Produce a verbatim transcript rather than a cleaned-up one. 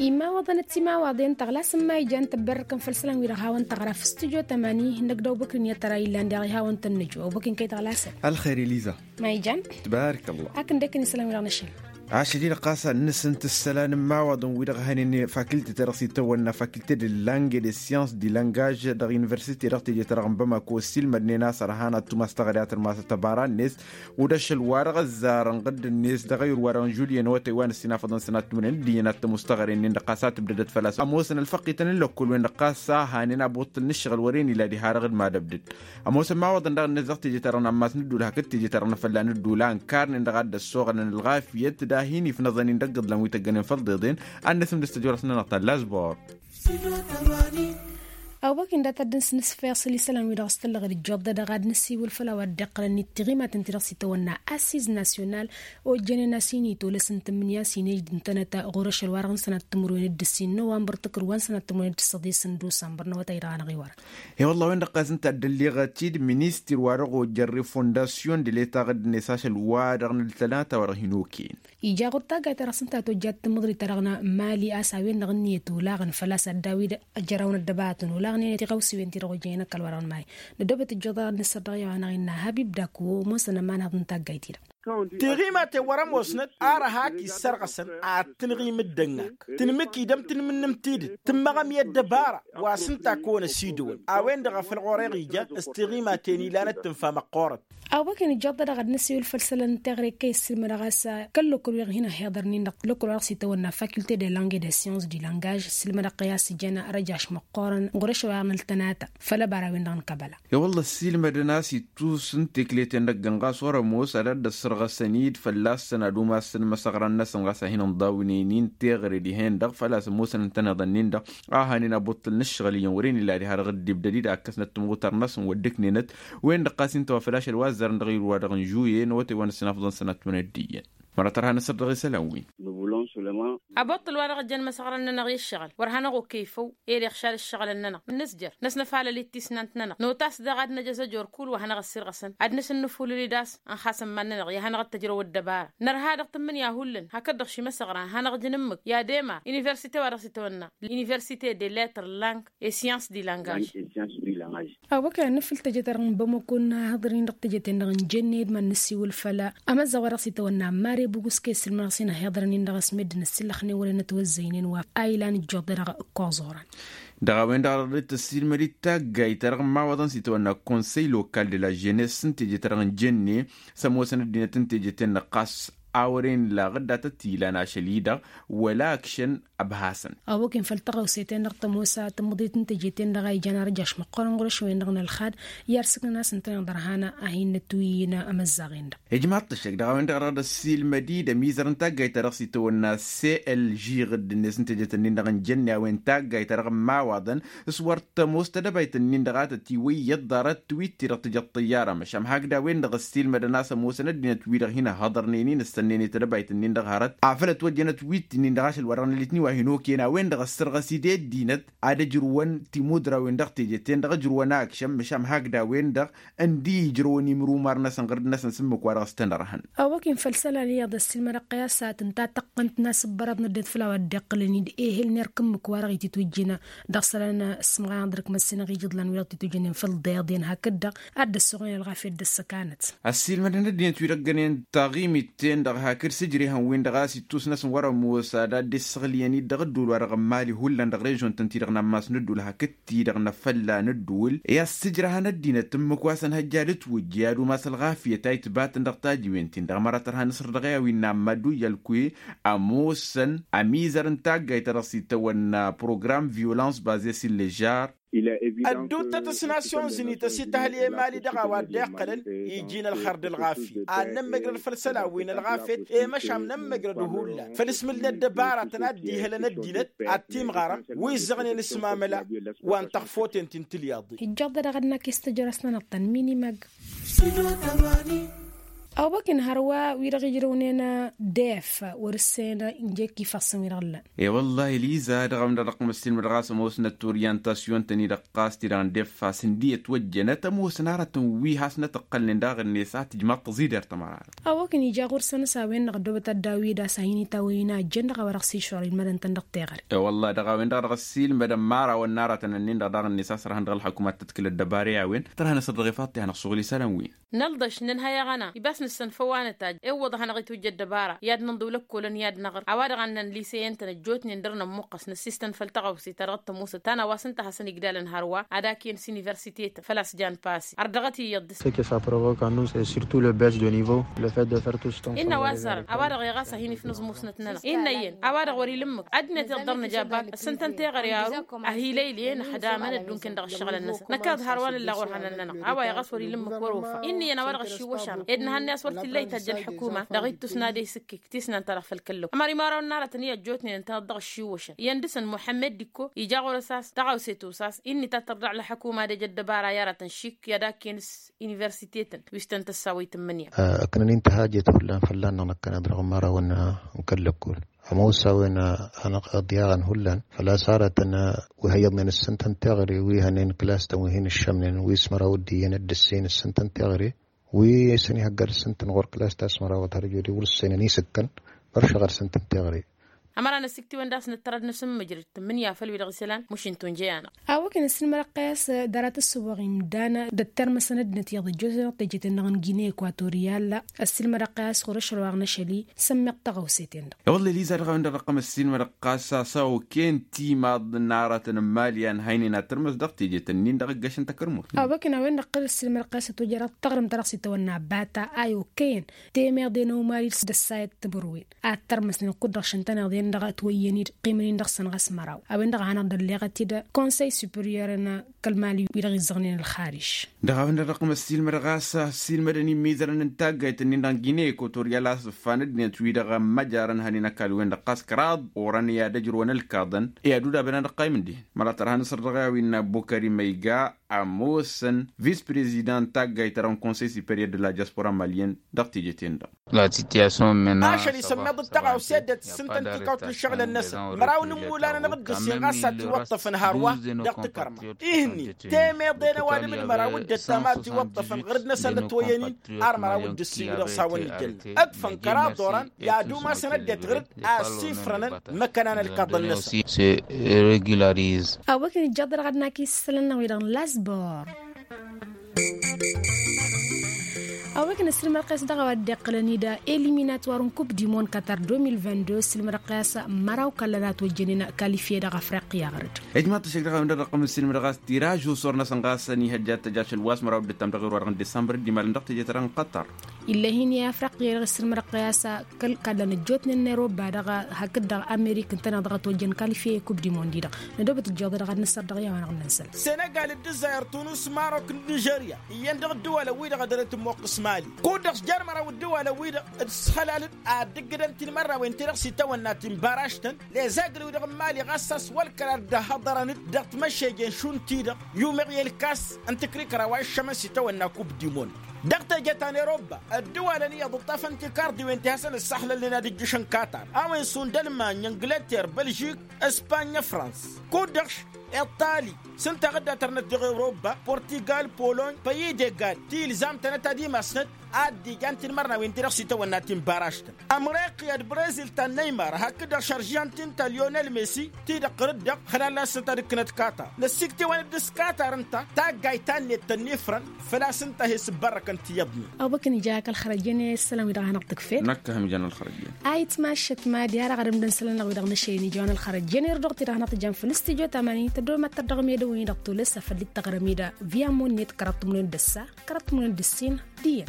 Imawaḍăn d-timawaḍen tăɣlasăn ma ijan tăbberrăkăn făll-isălan-wi-dăɣ hawăn-tăɣra f-studyo tămani n-ăgg-dăw băkrin i-ad-tăra illan daɣ ihawăn-tăn-nǝjǝw ăwbăkrin kăy-tăɣlasăn. Ălxer iliza. Ma ijan. Tbarăk ăllah. Akǝndekăn isălan-wi-dăɣ n-ašăl. Ašăl-i-dăɣ ɣas ad-nǝsǝnt isălan n-imawaḍăn-wi-dăɣ hănen fakilte-ta-dăɣ s-itawănna fakilte de lange de syans de langaj dăɣ-universite dăɣ-teje-ta-dăɣ n-bamako ăssiilmădnen a-s ărhan ad-tumas taɣăre ad-tărmasăt ăbara-net. Wi d-ašăl-wa-dăɣ ăzzarăn ɣǝdd-net dăɣ-ayǝr-wa-dăɣ n-žulyen awătay wa n-ăssinafăḍăn sănat timǝrwen d-iyyăn ad-tămustăɣăre-nin-dăɣ ɣas a tǝbdădăt fălla-s ămoosăn ălfăqqităn n-lăkkol-wen-dăɣ ɣas a hanen abuṭṭǝl n-ǝššăɣǝl wăren ila diha-dăɣ d-mad-ăbdăd. Ămoosăn imawaḍăn daɣ-net dăɣ-teje-ta-dăɣ n-ammas n-ǝddul hakd teje-ta-dăɣ n-afălla n-ǝddul a ǝnkarnen dăɣ-ad-dd-ăssoɣălăn ălɣafyăt d-ad-hin-ifnăẓăn-in dăgg-iḍlan wi tăggănen făll-iḍeḍen. Ad-nǝsǝm d-ăstăjorăs-nănăɣ ta n-lazbor. Awăk-in dat-ad-dd-nǝsnǝs făyăṣ isălan-wi-dăɣ s-tăllăɣ d-ǝjjoḍ-dăɣ ad-nǝsiwǝl făll-a-wa dd-iqqălăn d-tiɣimaten-ti-dăɣ s-itawănna assiz nasyonal. Ojjănen a-s hin-itolăs n-tǝmmǝnǝya s-hin-ej d-ǝntănăt ɣur-ašăl-wa-dăɣ n-sănat timǝrwen d-ǝssin nowambăr tǝkrǝwăn sănat timǝrwen d-ǝssăḍis n-dusambăr n-awătay-dăɣ anăɣ-iwărăn. E-wălla-wen-dăɣ ɣas ǝnta a dd-ălleɣăt-dd ministir-wa-dăɣ ojjăn refondasyon de leta ɣǝddǝnet ašăl-wa-dăɣ n-ăltănata wa dăɣ-hin-okăyăn. Ija ɣur-taggayt-ta-dăɣ s-ǝnta a tojjat tǝmmǝḍrit-ta-dăɣ n-mali a-s a-wen-dăɣ ǝnniyăt olaɣăn făl-a-s ad-dd-awǝy d-ăjrawăn ăddăbaratăn olaɣnen tiɣawsiwen-ti-dăɣ ojjănen ăkall-wa-dăɣ n-mali. Năddobăt ǝjjuḍ ad-nǝssăr dăɣ-i-wa-năɣ innă habib dako ămoosăn ămanhăḍ n-taggayt-i-dăɣ. Tiɣimaten wăr-ămoosnăt ar ăha k-issărɣăsăn ad-tǝnɣim d-ănnak tǝnmǝk-dd ămtǝnmǝnnǝm tidǝt tǝmmăɣăm i-ăddăbara wa s-ǝnta a kăwăn-ăsidăwăn. A-wen-dăɣ a făl ɣur-e-ɣ ija s-tiɣimaten ilan d-tǝnfa măqqoorăt. Awăken ǝjjăḍ-dăɣ ad-nǝsiwǝl făll-isălan n-teɣăre kăy-ǝssǝlmădăɣ a-s kăl-lăkkol wi-dăɣ hin-ăhhiḍărnin-dăɣ lăkkol wa dăɣ-s itawănna fakulte de lange de syans de langaj ǝssǝlmădăɣ-kăy a-s ijăn răjaš măqqoorăn ɣur-ešăl wa dăɣ-nǝltănata. Făll-ăbara-wen-dăɣ n-kăbăla. I-wălla ăssiilmădăn a-s ittus n-tekle-ten-dăgg ɣas wăr-ămoos ad-dd-ăssărɣăsăn-dd fălla-săn ad-umasăn imăsăɣran-năsăn ɣas a hin-ǝnḍawnen-in teɣăre dihen-dăɣ făl-a-s ămoosăn ǝntăneḍăn-in-dăɣ a hanen abuṭṭǝl n-ǝššăɣǝl iyyăn wăren illa diha-dăɣ dd-ibdăd-dd a ǝkkăsnăt timɣutar-năsăn wăr dd-ǝknenăt. Wen-dăɣ ɣas ǝnta wa făl ašăl wa ăzzarăn dăɣ-iwǝr-wa-dăɣ n-žuye n-awătay wa n-ăssinafăḍăn sănat timǝrwen d-iyyăn. Măra tărha nǝsăr dăɣ-isălan-win. Abuṭṭǝl wa dăɣ-ăjjăn imăsăɣran-nănăɣ i-ǝššăɣǝl wăr hanăɣ-okăy făw. Ed iɣšal ǝššăɣǝlăn-nănăɣ nǝzjăr năsnăfalăl-dd tisnant-nănăɣ notas daɣ ad-năj azăjor kull wa hanăɣ-ăssirɣăsăn ad-nǝsǝnnǝfulǝl-dd a-s ănxasăn iman-nănăɣ i-ad-hanăɣ-dd-tăjrăw ăddăbara. Nărha dăɣ-tǝmmǝnǝya hullan hakd-dăɣ šimăsăɣran ad-hanăɣ-ǝjǝn ǝmmǝk i-ad-emar universite wa dăɣ-s itawănna universite de lettres langues et sciences du langage. Awăkăn ad-nǝfǝl teje-ta-dăɣ n-bamăko n-ahǝḍăr-in dăɣ-teje-ten-dăɣ n-jănne d-iman-năsiwǝl făll-amăzzăɣ wa dăɣ-s itawănna mare bugǝske s-ǝlmănăɣ s-inhăḍărăn-in dăɣ-s meddǝn ǝssǝllăxnen wăren ătwăzzăynen wa a ilan ǝjjuḍ-dăɣ. Kăwăẓ oran dăɣ-a-wen-dăɣ a dăɣ-dd-tăssiilmăd-dd taggayt ta dăɣ-imawaḍăn s-itawănna konsăy lokal de la jeunesse n-teje-ta-dăɣ n-jănne s-ămoosăn ăddinăt n-teje-ten-dăɣ ɣas a wăren laɣ dd-atăt ilan ašăl-i-dăɣ wăla ăkšăn. Ăbhasăn. Awăken făll-tăɣawse-ten-dăɣ tămoos tǝmmǝḍit n-teje-ten-dăɣ a ijan arăjaš măqqoorăn ɣur-ašăwen-dăɣ n-ălxad i-arsǝknăn a-s ǝntăneḍ ărhan a hin-nǝtwǝyyǝn amăzzaɣ-en-dăɣ. Ijmaḍ tăššăk dăɣ-a-wen-dăɣ a dăɣ-dd-ăssiilmăd-dd ămizăr n-taggayt-ta-dăɣ s-itawănna c l g ɣǝdd-net n-teje-tăn-in-dăɣ n-jănne a-wen taggayt-ta-dăɣ n-imawaḍăn s-wăr tămoos tedăbayt-nin-dăɣ a tătiwǝyyăḍ ḍarăt twitti dăɣ-tǝjăḍ tăyyara măšan hakd a-wen-dăɣ ăssiilmădăn a-s ămoosăn ăddinăt-wi-dăɣ hin-ăhhăḍărnen-in ǝssănnen i-tedăbayt-nin-dăɣ hărăt afăl ătwăjjănăt witti-nin-dăɣ ašăl wa dăɣ-nălitni wa hin-okăyăn a-wen-dăɣ ăssărɣăs-dd i-ăddinăt ad-ăjrǝwăn timudrawen dăɣ-teje-ten-dăɣ ǝjrǝwăn akšăm măšan hakd a-wen-dăɣ ǝndi ijrăwăn imrumar-năsăn ɣǝrd-năsăn s-ǝmmǝk wa dăɣ-s-tăn-ărhăn. Awăken făll-isălan iyyăḍ ăssiilmădăɣ-kăy a-s tǝnta tăqqǝnt n-asǝbbărăḍ n-ăddinăt făll-a-wa dd-iqqǝlăn-dd ehel n-erk ǝmmǝk wa dăɣ-ititwǝjjǝn dăɣ-isălan s-ǝmɣayăn ăḍrǝkmăt s-inăɣ ijǝḍlan wi-dăɣ titwǝjjǝnen făll-iḍeḍen hakd-dăɣ ad-dd-ăssuɣnen ălɣafyăt d-ăssăkanăt. Ăssiilmădăn ăddinăt wi dăgg-ănen taɣimit-ten-dăɣ hakd sǝjrehăn-win-dăɣ a-s ittus-năsăn wăr-ămoos ad-dd-issăɣlǝyăn-dd dăɣ-ăddul wa dăɣ-n mali hullan dăɣ-režion-tăn-ti-dăɣ n-ammas n-ăddul hakd-ti-dăɣ n-afălla n-ăddul i-ad-sǝjrăhăn ăddinăt ǝmmǝk wa s-ănhăjja ad-ǝtwǝjja i-ad-umas ălɣafyăt a itbatăn dăɣ-tajiwen-tin-dăɣ măra tărha nǝsăr dăɣ-e-a wi n-amma dd-ujjăl kăy-ămoosăn ămizăr n-taggayt ta dăɣ-s itawănna program violans baze s-illežar. Ădduuttăt s-nasyonzǝnit ăsităhăl i-emali dăɣ-a-wa dd-iqqălăn iji n-ălxer d-ălɣafyăt ad-nămmăjrăd făll-isălan wi n-ălɣafyăt i-măšan nămmăjrăd hullan făll-ismǝl n-ăddăbaratăn a dd-ihălăn ăddinăt ad-timɣarăm wi ǝzzăɣnen s-mamăla wa n-taɣfoten ti n-tilyaḍen. Ijjaḍ-dăɣ ad-năkk i-s tăjrăs-nănăɣ ta n-minimag. Ăwbăkăn hărwa wi-dăɣ ijrăwnen def wăr-ǝssen. Injek ifassăn wi-dăɣ ǝllan. E-wăllah iliza dăɣ-a-wen-dăɣ dăɣ-tămăssin mădɣas ămoosnăt orientasyun-tăn-i-dăɣ ɣas ti-dăɣ n-def-as ǝndi ătwăjjănăt ămoosăn aratăn wi hasnăt ǝqqălnen daɣ-net a tǝjmaḍ tăẓider tămăra. Ăwwăkăn ija ɣur-săn s-a-wen-dăɣ ăddoobăt ad-dd-awǝy d-asahǝn itawăyăn a ăjjăn dăɣ-a-wa-dăɣ s-iššur ilmădăn-tăn dăɣ-teɣăre. E-wălla dăɣ-a-wen-dăɣ dăɣ-ăssiilmădăn imărawăn n-aratăn-ǝnnin-dăɣ daɣ-net a sărhăn dăɣ-ălxăkumat tăḍkǝlăt dăbare a-wen tărha n-asăt dăɣ-ifaḍ ti hanăɣ-suɣǝl isălan wi. Nălḍăš nǝnhăy aɣăna ibas nǝssăn făw a nǝtajj ewwăḍ ad-hanăɣ-itwǝjja ăddăbara i-ad-nǝnḍǝw lăkkolăn i-ad-năɣr a-wa-dăɣ a ǝnnan liseyăn-tăn ăjjootnen dăr-nămmuqqăs năssiistăn făll-taɣawse ta dăɣ-t-ămoosăt ta n-a-wa s-ǝnta a hasăn-igdalăn hărwa ad-ak-iyăn s-universitetăn făl-a-s jan pasi ar dăɣ-t iyyăḍ dăr-s. Ce que ça provoque en nous, et surtout le baisse de niveau, le fait de faire tout ce temps. Innă wa ăzzarăn a-wa-dăɣ i-ɣas a hin-ifnǝẓ musnăt-nănăɣ innă iyyăn a-wa-dăɣ wăr-ila ǝmmǝk ăddinăt iyyăḍ dăr-nǝja bak ǝssǝntăn teɣăre aru. Ahilăy ǝlyen ăxdamăn ăddunkăn dăɣ-ǝššăɣǝlăn-năsăn năkk ad-hărwa n-ăllaɣ wăr hanăɣ-nănăɣ a-wa iɣas wăr-ila ǝmmǝk wăr-ofa. Innă iyyăn a-wa-dăɣ ăššiwwăšan ed nǝhănnăy a-s wăr t-illa itajj ălḥukuma dăɣ-ittus n-ad-e-sǝkkǝk tisnan-ta-dăɣ făll-kăllăw ămăr imărawăn n-aratăn i-ăjjootnen ǝntăneḍ dăɣ-ăššiwwăšăn iyyăn dăɣ-săn muḥămmed d-ikko ija ɣur-s a-s taɣawse tosa a-s inn'-i ta tărḍăɣ ălḥukuma ad-ej ăddăbara i-aratăn šik i-ad-ak-iyăn s-universitetăn wi s-tăn-tăssawăy tǝmmǝnǝya. Ăknăn-in tăhajăt hullan fălla-năɣ năkkăneḍ dăɣ-imărawăn n-kăl-lăkkol. Ămoos a-wen hanăɣ-iḍyaɣăn hullan făl-a-s aratăn wi hăyyăḍnen ǝssǝntăn teɣăre wi hănen kǝlas-tăn wi hin-ǝššămnen wi s-măraw d-iyyăn d-ǝssin ǝssǝntăn teɣăre wi s-ănihăgga d-ǝssǝntăn ɣur-kǝlas ta s-măraw d-hărjodi wăr-ǝssenăn isǝkkăn. Băršăɣ ărsǝntăn teɣăre. Ămăra n-ăsiktǝwăn d-asnăt tărăd n-asǝmmǝjrǝd tǝmmǝnǝya făll-wi-dăɣ isălan mušǝn tunjăy-anăɣ. A-wa kăn-ăssinmădăɣ qiyas dăr-a tǝssǝwăɣ imdan d-ăttărmăsăn ăddinăt iyyăḍ ăjjootnen dăɣ-teje-ten-dăɣ n-gine ekwatoryal. Ăssinmădăɣ qiyas ɣur-ašăl wa ɣ-năšăl-i sămmeɣ taɣawse-ten-dăɣ. E-wălla eliza dăɣ-a-wen-dăɣ dăɣ-tămăssinmădăɣ ɣas a-s a okăyăn timaḍ n-aratăn n-imali a ǝnhăynen ad-tărmăs dăɣ-teje-tăn-in-dăɣ ǝggăšăn takărmut. A-wa kăn a-wen-dăɣ qad ăssinmădăɣ qiyas ătwăjjăr ad-taɣrǝmt ta dăɣ-s itawănna bata a i-okăyăn temeḍe n-omali s-dăssayăt timǝrwen ad-tărmăsnen kud-dăɣ šăn tăneḍe-n-dăɣ ătwăyyăn-dd ăqqimăn-in dăɣ-săn ɣas măraw. A-wen-dăɣ a hanăɣ-dd-ălleɣăt-dd konsăy superior-en kăl-mali wi-dăɣ izzăɣnen ălxariš. Dăɣ-a-wen-dăɣ dăɣ-tămăssilmădăɣ a-s ăssiilmădăn immizărăn n-taggayt-ǝnnin-dăɣ n-gine ekwatoryal a-s ǝffanăn ăddinăt wi-dăɣ ămmăjarăn hănen ăkall-wen-dăɣ ɣas kăraḍ orăn i-ad-ăjrǝwăn ălkaḍăn i-ad-udabăn ad-ăqqaymǝn dihen măra tărha n-asăr dăɣ-i a-wa innă bukări măyga. Ămoosăn vis-prezidant taggayt-ta-dăɣ n-konsăy superior de la diaspora maliyăn dăɣ-teje-ten-dăɣ. Ašăl isămmeḍ d-taɣawse dd-tǝssǝntăn tikawt n-ǝššăɣǝlăn-năsăn măraw n-ǝmmulan-anăɣ d-ǝssin ɣas a tiwăṭṭăfăn hărwa. Dăɣ-tikărma ihǝnnin temeḍe n-ăwadǝm d-măraw dd-ăttam a tiwăṭṭăfăn ɣǝrǝd-năsăn ătwăyyăn-in. Ar măraw d-ǝssin wi-dăɣ s-hawăn-ijălnăn ǝḍfăn kăraḍ orăn i-ad-umasăn ăddinăt ɣǝrǝd a ăssiifrănăn măkkăna n-ălkaḍăn-năsăn. Awăkăn ijjaḍ dăɣ-ad-nak isălan-năɣ wi-dăɣ n-lasbor. Awăkăn ăssilmădăɣ-kăyăs dăɣ-a-wa dd-iqqǝlăn-dd eliminator n-kup dimon katar deux mille vingt-deux ăssilmădăɣ-kăyăs măraw kallăn a tojjănen kalifiye dăɣ-afriqya ɣărăt. Ijmaḍ-t ăššăk dăɣ-a-wen-dăɣ dăɣ-tăm ăssilmădăɣ a-s tiraj usor-năsăn ɣas ănihăjja ad-tăj ašăl wa s-măraw dd-ăttam dăɣ-iru wa dăɣ-n disambăr d-imalăn dăɣ-teje-ta-dăɣ n-qatar. Ill'-e-hin i-afriqya dăɣ-ăssilmădăɣ-kăyăs kăl-kallăn ăjjootnen n-eroba dăɣ-hakd-dăɣ amerik ǝntăneḍ dăɣ-ătwăjjăn kalifiye i-kup dimon-di-dăɣ. Nădobăt ǝjjeḍ-i dăɣ-ad-nǝssăr dăɣ-i a-wa-dăɣ n-ănsăl. Senegal d-ǝzzayăr tunǝs marok d-nižerya iyyăn dăɣ-ǝddǝwălăn-wi-dăɣ a dăr-e-tǝmmoqqǝs mali. Kud-dăɣ s-jer-măraw ǝddǝwălăn-wi-dăɣ d-săhălalăn ad-dd-ǝggǝdăn tinmărrawen-ti-dăɣ s-itawănna ti n-baražtăn. Lezagǝl-wi-dăɣ n-mali ɣas a-s wăl-kărar dd-ăhhăḍărăn-dd dăɣ-timăššejen šund-ti-dăɣ i-umeɣ i-ălkas n-tǝkrikăra wa iššămăn s-itawănna kup dimon. Dăɣ-teje ta n-eroba ăddǝwalăn iyyăḍ ǝṭṭafăn tikarḍiwen ti hasăn-ǝssăxlălnen ad-ǝjjǝšăn katar a-wen šund ălmany ǝngǝlăter bălžik, ǝspanya, frans, kud-dăɣ iṭali. S-ǝnta a dd-atărnăt dăɣ-eroba portigal, polony, păyyi d-egal ti ilzam-tănăt ad-imasnăt ad-dd-ijan tinmărnawen-ti-dăɣ s-itawănna ti n-baražtăn. Ămriqya d-brezil ta n-neymar hakd-dăɣ šăržžan ti n-ta lyonel messi ti-dăɣ ɣǝr-dd-dăɣ xălal-asnăt ad-ǝkkǝnăt katar. Năssiktewăn-dd s-katar ǝnta taggayt ta n-net tănnifrăn. Făl-a-s ǝnta a he-sǝbbărrăkăn tiyyăḍnen. Ăwbăkăn ija kăl-xărăjăn i-isălan-wi-dăɣ a hanăɣ-tǝkfed. Năkk a hăm ija n-ălxărăjăn. A itmaššăt mad-i har aɣrǝm d-isălan-năɣ-wi-dăɣ n-ašăl i-nija wa n-ălxărăjăn irduɣ-t-i dăɣ-hanăɣ-tǝjam făll-stujo tamanin tădomăt-tăr dăɣ-medăwăn-i-dăɣ tolăs afăl dd-tăɣrăm-i d-ăssa kăraḍt tǝmǝnǝn d-ǝssin. Diyyăn.